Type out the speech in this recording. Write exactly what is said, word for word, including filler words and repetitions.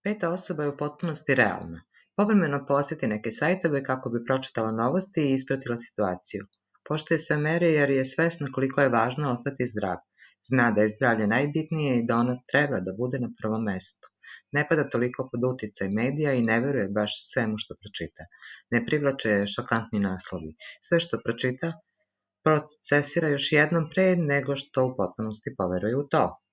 Peta osoba je u potpunosti realna. Povremeno poseti neke sajtove kako bi pročitala novosti i ispratila situaciju. Poštuje sve mere jer je svesna koliko je važno ostati zdrav. Zna da je zdravlje najbitnije i da ono treba da bude na prvom mestu. Ne pada toliko pod uticaj medija i ne veruje baš svemu što pročita. Ne privlače je šokantni naslovi. Sve što pročita procesira još jednom pre nego što u potpunosti poveruje u to.